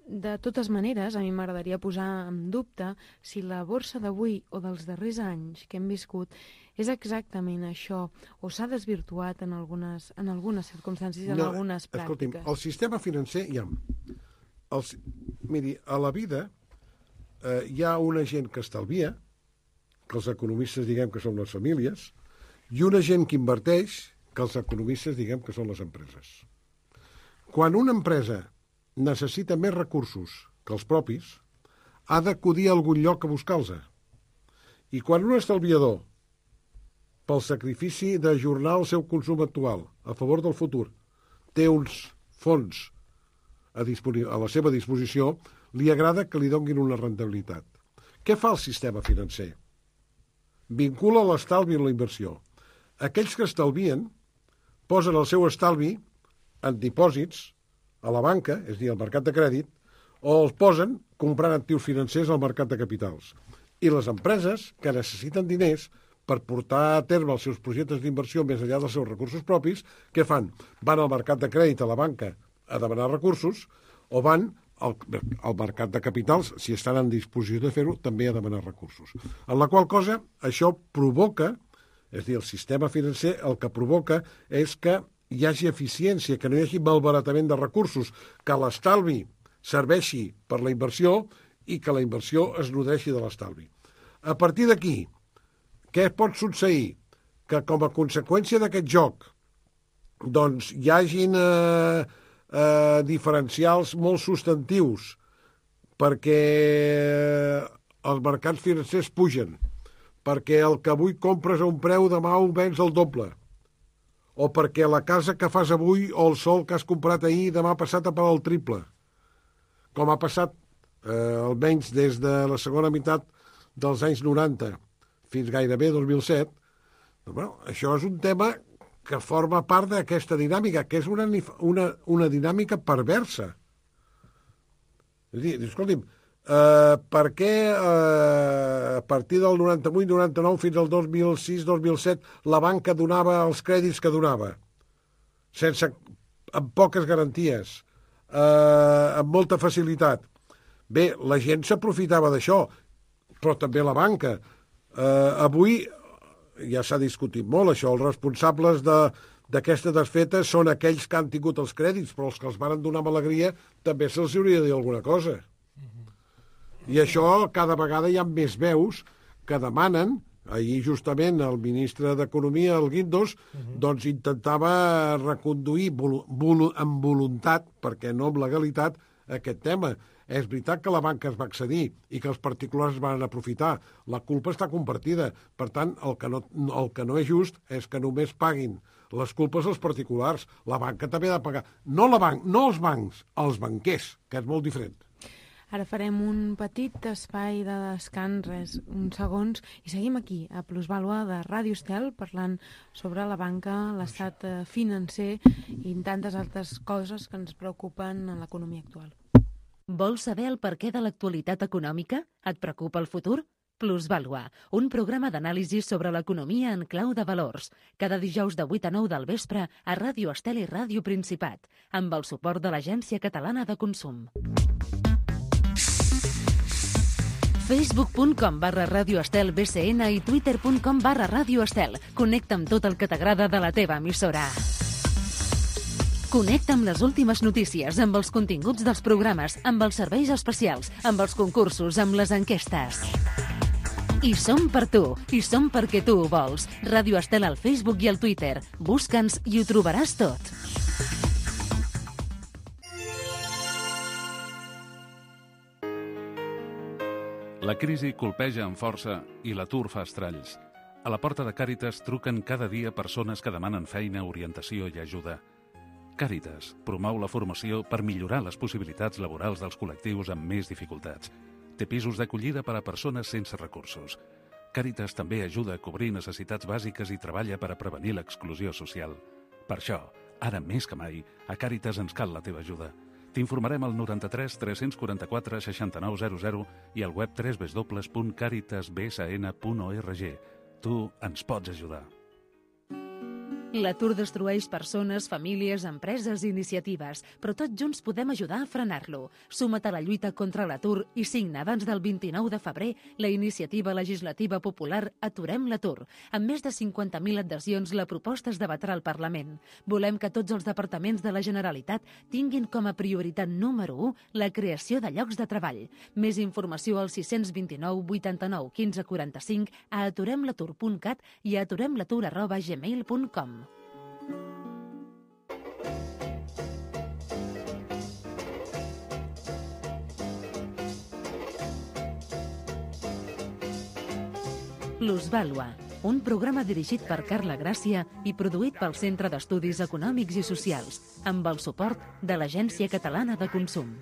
De totes maneres, a mi m'agradaria posar en dubte si la borsa d'avui o dels darrers anys que hem viscut és exactament això, o s'ha desvirtuat en algunes circumstàncies, en algunes pràctiques. Escolti'm, el sistema financer hi ha... Miri, a la vida hi ha una gent que estalvia, que els economistes diguem que són les famílies, i una gent que inverteix, que els economistes diguem que són les empreses. Quan una empresa necessita més recursos que els propis, ha d'acudir a algun lloc a buscar-los. I quan un estalviador, pel sacrifici d'ajornar el seu consum actual a favor del futur, té uns fons a la seva disposició, li agrada que li donguin una rendibilitat. Què fa el sistema financer? Vincula l'estalvi amb la inversió. Aquells que estalvien posen el seu estalvi en dipòsits a la banca, és a dir, al mercat de crèdit, o els posen comprant actius financers al mercat de capitals. I les empreses que necessiten diners per portar a terme els seus projectes d'inversió més enllà dels seus recursos propis, què fan? Van al mercat de crèdit a la banca a demanar recursos o van al mercat de capitals, si estan en disposició de fer-ho, també a demanar recursos. En la qual cosa, això provoca, és a dir, el sistema financer el que provoca és que hi hagi eficiència, que no hi hagi malbaratament de recursos, que l'estalvi serveixi per la inversió i que la inversió es nodreixi de l'estalvi. A partir d'aquí, què pot succeir? Que com a conseqüència d'aquest joc doncs hi hagin diferencials molt substantius perquè els mercats financers pugen, perquè el que avui compres a un preu demà ho vens al doble, o perquè la casa que fas avui o el sol que has comprat ahir demà passat a pagar el triple, com ha passat almenys des de la segona meitat dels anys 90 fins gairebé 2007, doncs, bueno, això és un tema que forma part d'aquesta dinàmica, que és una dinàmica perversa. És a dir, escolti'm, per què a partir del 98-99 fins al 2006-2007 la banca donava els crèdits que donava? Amb poques garanties, amb molta facilitat. Bé, la gent s'aprofitava d'això, però també la banca. Avui ja s'ha discutit molt això, els responsables d'aquesta desfeta són aquells que han tingut els crèdits, però els que els van donar amb alegria també se'ls hauria de dir alguna cosa. I això cada vegada hi ha més veus que demanen, ahir justament el ministre d'Economia, el Guindos, doncs intentava reconduir amb voluntat, perquè no amb legalitat, aquest tema. És veritat que la banca es va accedir i que els particulars van aprofitar. La culpa està compartida. Per tant, el que no és just és que només paguin les culpes als particulars. La banca també ha de pagar. No els bancs, els banquers, que és molt diferent. Ara farem un petit espai de descans, uns segons, i seguim aquí, a Plusvàlua de Ràdio Estel, parlant sobre la banca, l'estat financer i tantes altres coses que ens preocupen en l'economia actual. Vols saber el perquè de l'actualitat econòmica? Et preocupa el futur? Plusvàlua, un programa d'anàlisi sobre l'economia en clau de valors. Cada dijous de 8 a 9 del vespre a Ràdio Estel i Ràdio Principat, amb el suport de l'Agència Catalana de Consum. Facebook.com/Ràdio Estel BCN i Twitter.com/Ràdio Estel. Connecta amb tot el que t'agrada de la teva emissora. Connecta amb les últimes notícies, amb els continguts dels programes, amb els serveis especials, amb els concursos, amb les enquestes. I som per tu, i som perquè tu ho vols. Ràdio Estel al Facebook i al Twitter. Busca'ns i ho trobaràs tot. La crisi colpeja amb força i l'atur fa estralls. A la porta de Càritas truquen cada dia persones que demanen feina, orientació i ajuda. Càritas promou la formació per millorar les possibilitats laborals dels col·lectius amb més dificultats. Té pisos d'acollida per a persones sense recursos. Càritas també ajuda a cobrir necessitats bàsiques i treballa per a prevenir l'exclusió social. Per això, ara més que mai, a Càritas ens cal la teva ajuda. T'informarem al 93 344 6900 i al web www.caritasbsn.org. Tu ens pots ajudar. L'atur destrueix persones, famílies, empreses i iniciatives, però tots junts podem ajudar a frenar-lo. Suma't a la lluita contra l'atur i signa abans del 29 de febrer la iniciativa legislativa popular Aturem l'atur. Amb més de 50.000 adhesions, la proposta es debatrà al Parlament. Volem que tots els departaments de la Generalitat tinguin com a prioritat número 1 la creació de llocs de treball. Més informació al 629 89 15 45 a aturemlatur.cat i a aturemlatur@gmail.com. Plusvàlua, un programa dirigit per Carla Gràcia i produït pel Centre d'Estudis Econòmics i Socials, amb el suport de l'Agència Catalana de Consum.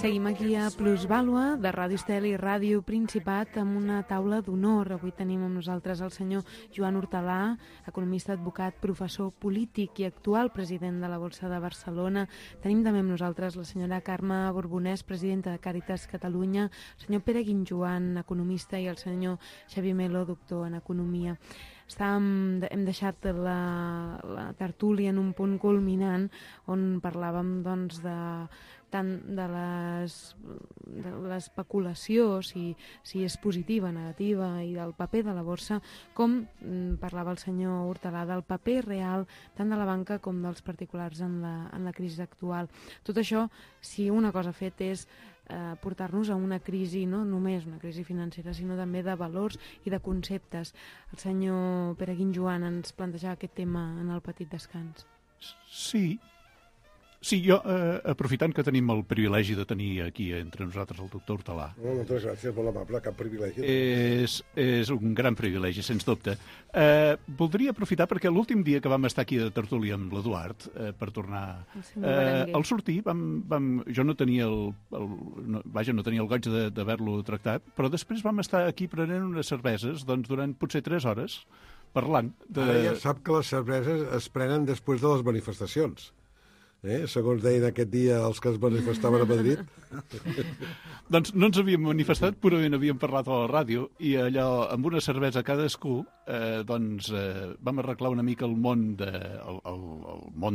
Seguim aquí a Plusvàlua de Ràdio Estel i Ràdio Principat amb una taula d'honor. Avui tenim amb nosaltres el senyor Joan Hortalà, economista, advocat, professor polític i actual president de la Borsa de Barcelona. Tenim també amb nosaltres la senyora Carme Borbonès, presidenta de Càritas Catalunya, el senyor Pere Guinjoan, economista, i el senyor Xavier Melo, doctor en economia. Hem deixat la tertúlia en un punt culminant on parlàvem tant de l'especulació, si és positiva, negativa, i del paper de la borsa, com parlava el senyor Hortalà, del paper real tant de la banca com dels particulars en la crisi actual. Tot això, si una cosa ha fet és portar-nos a una crisi, no només una crisi financera, sinó també de valors i de conceptes. El senyor Pere Guinjoan ens plantejava aquest tema en el petit descans. Sí, jo, aprofitant que tenim el privilegi de tenir aquí entre nosaltres el doctor Hortalà. Moltes gràcies, molt amable, cap privilegi. És un gran privilegi, sens dubte. Voldria aprofitar perquè l'últim dia que vam estar aquí de tertúlia amb l'Eduard, per tornar al sortir, jo no tenia no tenia el goig d'haver-lo tractat, però després vam estar aquí prenent unes cerveses durant potser 3 hores, parlant de... Ara ja sap que les cerveses es prenen després de les manifestacions. Segons deien aquest dia els que es manifestaven a Madrid. Doncs no ens havíem manifestat, purament havíem parlat a la ràdio, i allò, amb una cervesa cadascú, vam arreglar una mica el món,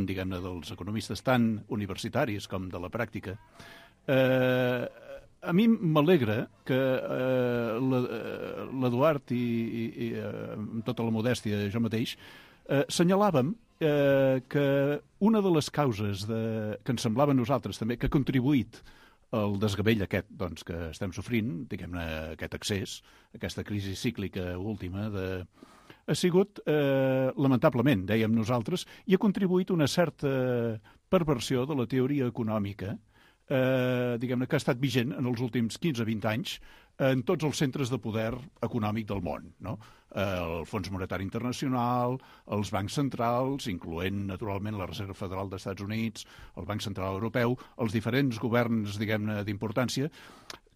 diguem-ne, dels economistes tant universitaris com de la pràctica. A mi m'alegra que l'Eduard i amb tota la modèstia jo mateix senyalàvem que una de les causes que ens semblava a nosaltres també que ha contribuït al desgavell aquest que estem sofrint, diguem-ne, aquest accés, aquesta crisi cíclica última, ha sigut, lamentablement, dèiem nosaltres, i ha contribuït una certa perversió de la teoria econòmica, diguem-ne, que ha estat vigent en els últims 15-20 anys, en tots els centres de poder econòmic del món, no? El Fons Monetari Internacional, els bancs centrals, incloent, naturalment, la Reserva Federal dels Estats Units, el Banc Central Europeu, els diferents governs, diguem-ne, d'importància,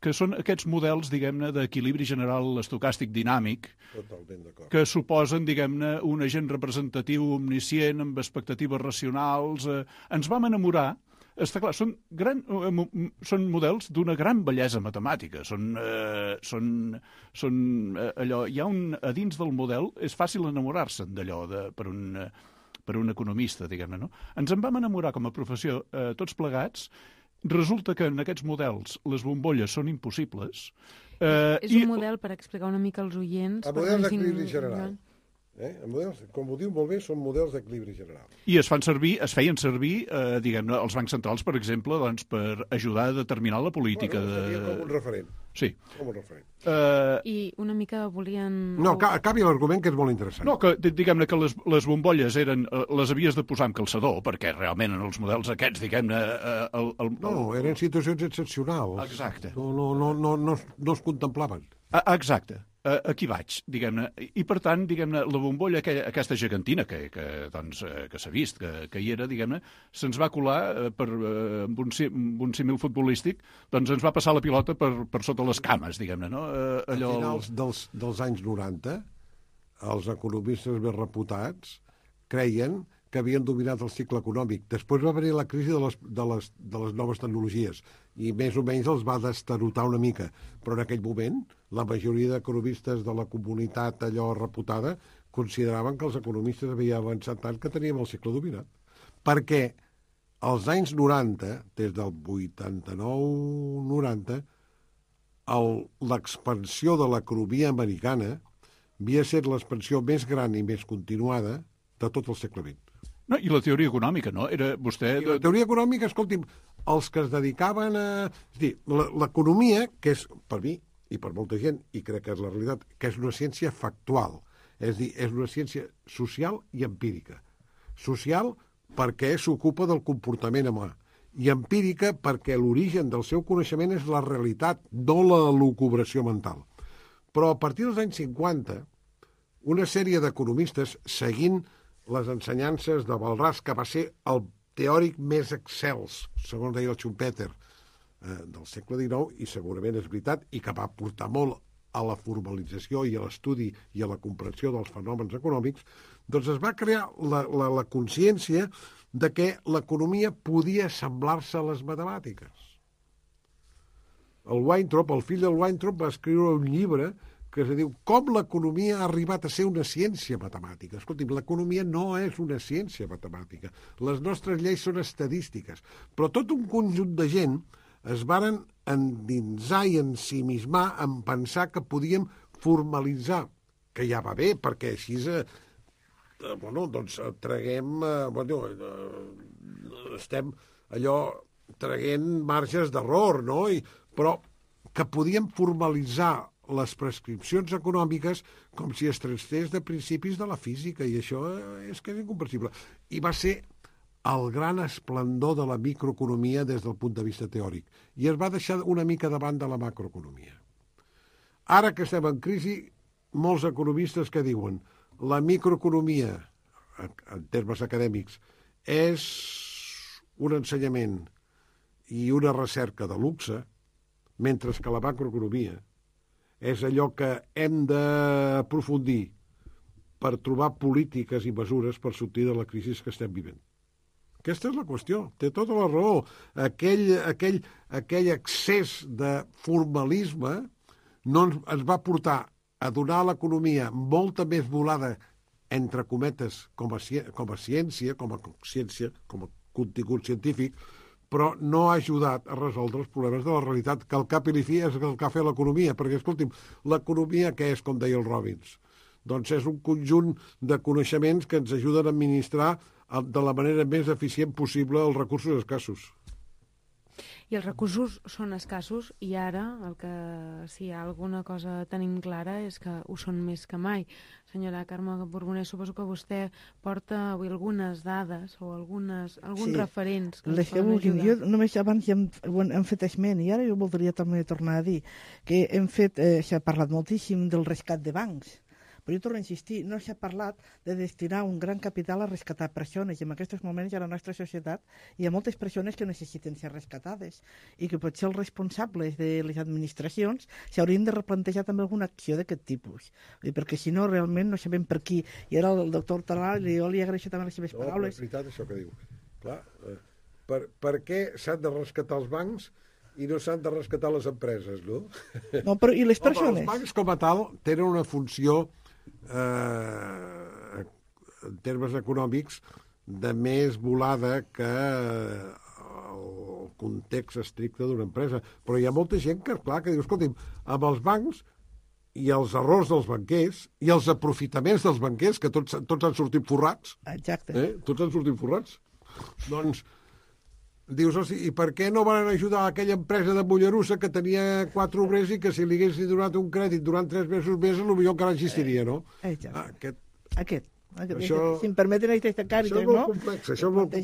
que són aquests models, diguem-ne, d'equilibri general estocàstic dinàmic, que suposen, diguem-ne, un agent representatiu omniscient amb expectatives racionals. Ens vam enamorar. Està clar, són models d'una gran bellesa matemàtica. Allò, a dins del model és fàcil enamorar-se'n d'allò per un economista, diguem-ne, no? Ens en vam enamorar com a professió tots plegats. Resulta que en aquests models les bombolles són impossibles. És un model, per explicar una mica als oients... El model d'equilibri general. Models, com ho diu molt bé, són models d'equilibri general. I es feien servir, diguem-ne, els bancs centrals, per exemple, doncs, per ajudar a determinar la política. Seria com un referent. Sí. Com un referent. I una mica volien... No, acabi l'argument, que és molt interessant. No, que diguem-ne que les bombolles les havies de posar amb calçador, perquè realment en els models aquests, diguem-ne... No, eren situacions excepcionals. Exacte. No es contemplaven. Exacte. Aquí vaig, diguem-ne. I, per tant, diguem-ne, la bombolla, aquesta gegantina que s'ha vist, que hi era, diguem-ne, se'ns va colar amb un símil futbolístic, doncs ens va passar la pilota per sota les cames, diguem-ne, no? A finals dels anys 90, els economistes més reputats creien que havien dominat el cicle econòmic. Després va venir la crisi de les noves tecnologies i més o menys els va destarotar una mica. Però en aquell moment la majoria d'economistes de la comunitat allò reputada consideraven que els economistes havien avançat tant que teníem el cicle dominat. Perquè als anys 90, des del 89-90, l'expansió de l'economia americana havia estat l'expansió més gran i més continuada de tot el segle XX. No, i la teoria econòmica, no? Era vostè... I la teoria econòmica, escolti'm, els que es dedicaven a... És a dir, l'economia, que és, per mi, i per molta gent, i crec que és la realitat, que és una ciència factual. És a dir, és una ciència social i empírica. Social perquè s'ocupa del comportament humà. I empírica perquè l'origen del seu coneixement és la realitat, no la lucubració mental. Però a partir dels anys 50, una sèrie d'economistes, seguint les ensenyances de Walras, que va ser el teòric més excels, segons deia el Schumpeter, del segle XIX, i segurament és veritat, i que va portar molt a la formalització i a l'estudi i a la comprensió dels fenòmens econòmics, doncs es va crear la consciència de que l'economia podia semblar-se a les matemàtiques. El Weintraub, el fill del Weintraub, va escriure un llibre que es diu Com l'economia ha arribat a ser una ciència matemàtica. Escolti'm, l'economia no és una ciència matemàtica. Les nostres lleis són estadístiques. Però tot un conjunt de gent es varen endinsar i ensimismar en pensar que podíem formalitzar, que ja va bé, perquè així doncs traguem... estem allò traguent marges d'error, no? Però que podíem formalitzar les prescripcions econòmiques com si es tractés de principis de la física, i això és que és incomprensible. I va ser el gran esplendor de la microeconomia des del punt de vista teòric. I es va deixar una mica davant de la macroeconomia. Ara que estem en crisi, molts economistes que diuen la microeconomia, en termes acadèmics, és un ensenyament i una recerca de luxe, mentre que la macroeconomia és allò que hem d'aprofundir per trobar polítiques i mesures per sortir de la crisi que estem vivint. Aquesta és la qüestió. Té tota la raó. Aquell excés de formalisme no ens va portar a donar a l'economia molta més volada, entre cometes, com a ciència, com a contingut científic, però no ha ajudat a resoldre els problemes de la realitat, que al cap i a la fi és el que ha fet l'economia. Perquè, escolti'm, l'economia què és, com deia el Robbins? Doncs és un conjunt de coneixements que ens ajuden a administrar de la manera més eficient possible els recursos escassos. I els recursos són escassos i ara el que, si hi ha alguna cosa tenim clara és que ho són més que mai. Senyora Carme Borbonès, suposo que vostè porta avui algunes dades o alguns referents que ens poden ajudar. Jo només abans ja hem fet esment i ara jo voldria també tornar a dir que s'ha parlat moltíssim del rescat de bancs. Però jo torno a insistir, no s'ha parlat de destinar un gran capital a rescatar persones i en aquests moments a la nostra societat hi ha moltes persones que necessiten ser rescatades i que potser els responsables de les administracions s'haurien de replantejar també alguna acció d'aquest tipus, perquè si no realment no sabem per qui. I ara el doctor Talal, jo li agraeixo també les seves paraules. És veritat això que diu. Clar, per què s'han de rescatar els bancs i no s'han de rescatar les empreses, no? No, però i les persones? Els bancs com a tal tenen una funció en termes econòmics de més volada que el context estricte d'una empresa. Però hi ha molta gent que, clar, que diu, escolti'm, amb els bancs i els errors dels banquers i els aprofitaments dels banquers, que tots han sortit forrats. Exacte. Tots han sortit forrats. Doncs dius, i per què no van ajudar aquella empresa de Mollerussa que tenia 4 obrers i que si li haguessin donat un crèdit durant 3 mesos més, potser encara existiria, no? Aquest. Si em permeten aquesta càrrega, no? Això és molt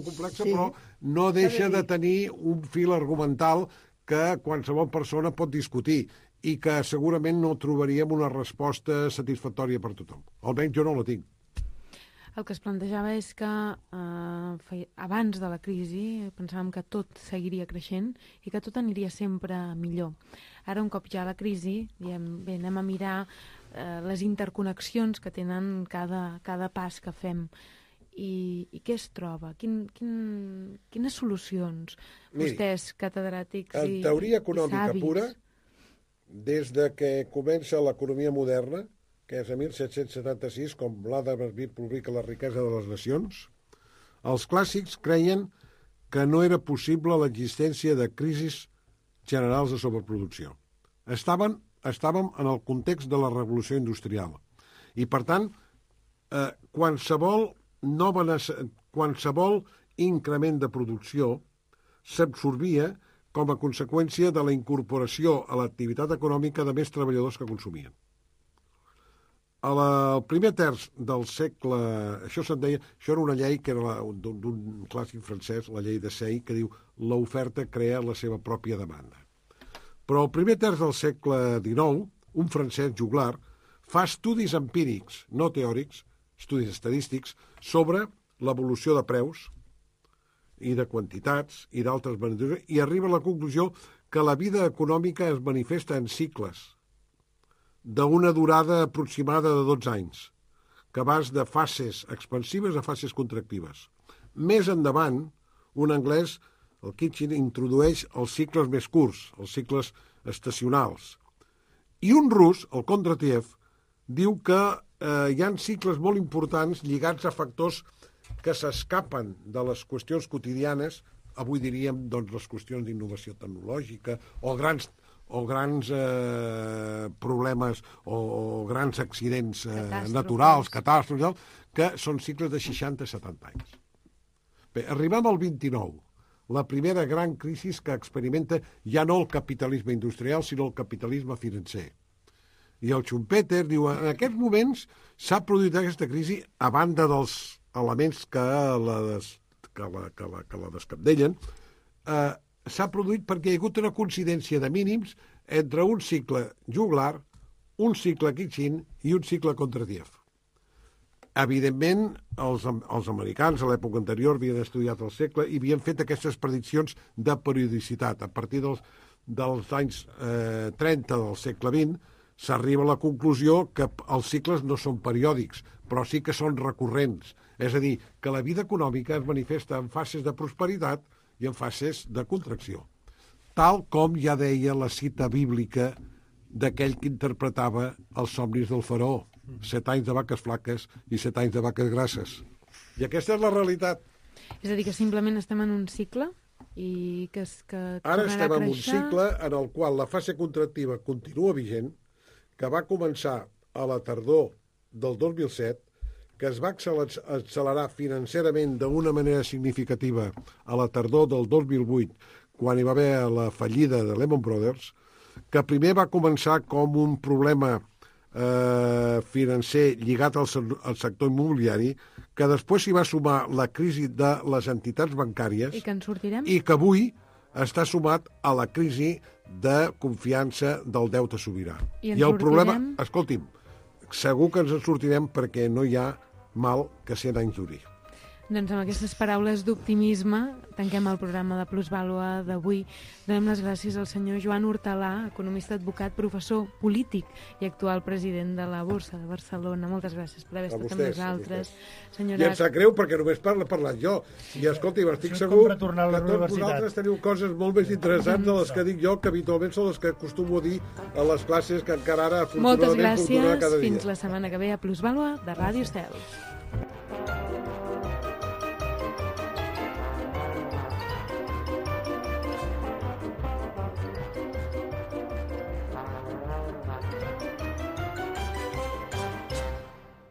complex, sí. Però no deixa de tenir un fil argumental que qualsevol persona pot discutir i que segurament no trobaríem una resposta satisfactòria per tothom. Almenys jo no la tinc. El que es plantejava és que abans de la crisi pensàvem que tot seguiria creixent i que tot aniria sempre millor. Ara, un cop ja la crisi, diem, bé, anem a mirar les interconnexions que tenen cada pas que fem. I què es troba? Quines solucions? Vostès, catedràtics i en teoria econòmica savis. pura, des de que comença l'economia moderna, que és a 1776, com l'Adam Smith publica La riquesa de les nacions, els clàssics creien que no era possible l'existència de crisis generals de sobreproducció. Estàvem en el context de la revolució industrial. I, per tant, qualsevol increment de producció s'absorbia com a conseqüència de la incorporació a l'activitat econòmica de més treballadors que consumien. Al primer terç del segle, això era una llei que era d'un clàssic francès, la llei de Say, que diu l'oferta crea la seva pròpia demanda. Però al primer terç del segle XIX, un francès, Juglar, fa estudis empírics, no teòrics, estudis estadístics, sobre l'evolució de preus i de quantitats i d'altres beneficis, i arriba a la conclusió que la vida econòmica es manifesta en cicles d'una durada aproximada de 12 anys, que vas de fases expansives a fases contractives. Més endavant, un anglès, el Kitchen, introdueix els cicles més curts, els cicles estacionals. I un rus, el Kondratiev, diu que hi ha cicles molt importants lligats a factors que s'escapen de les qüestions quotidianes, avui diríem doncs, les qüestions d'innovació tecnològica o grans problemes o grans accidents naturals, catàstrofes, que són cicles de 60-70 anys. Bé, arribem al 29, la primera gran crisi que experimenta ja no el capitalisme industrial, sinó el capitalisme financer. I el Schumpeter diu, en aquests moments s'ha produït aquesta crisi a banda dels elements que la descapdellen, s'ha produït perquè hi ha hagut una coincidència de mínims entre un cicle Juglar, un cicle Kitchin i un cicle Kondratiev. Evidentment, els americans a l'època anterior havien estudiat el segle i havien fet aquestes prediccions de periodicitat. A partir dels anys 30 del segle XX s'arriba a la conclusió que els cicles no són periòdics, però sí que són recurrents. És a dir, que la vida econòmica es manifesta en fases de prosperitat i en fases de contracció. Tal com ja deia la cita bíblica d'aquell que interpretava els somnis del faraó. 7 anys de vaques flaques i 7 anys de vaques grasses. I aquesta és la realitat. És a dir, que simplement estem en un cicle i que ara estem en un cicle en el qual la fase contractiva continua vigent, que va començar a la tardor del 2007, que es va accelerar financerament d'una manera significativa a la tardor del 2008, quan hi va haver la fallida de Lehman Brothers, que primer va començar com un problema financer lligat al sector immobiliari, que després s'hi va sumar la crisi de les entitats bancàries I que en sortirem? i que avui està sumat a la crisi de confiança del deute sobirà. I el problema, escolti'm, segur que ens en sortirem perquè no hi ha mal que 100 anys duri. Doncs amb aquestes paraules d'optimisme tanquem el programa de Plusvàlua d'avui. Donem les gràcies al senyor Joan Hortalà, economista, advocat, professor, polític i actual president de la Borsa de Barcelona. Moltes gràcies per haver estat amb nosaltres. I em sap greu perquè només parlat jo. I escolti, estic segur que tots vosaltres teniu coses molt més interessants de les que dic jo, que habitualment són les que acostumo a dir a les classes que encara ara afortunadament moltes puc donar cada dia. gràcies. Fins la setmana que ve a Plusvàlua de Ràdio Estel.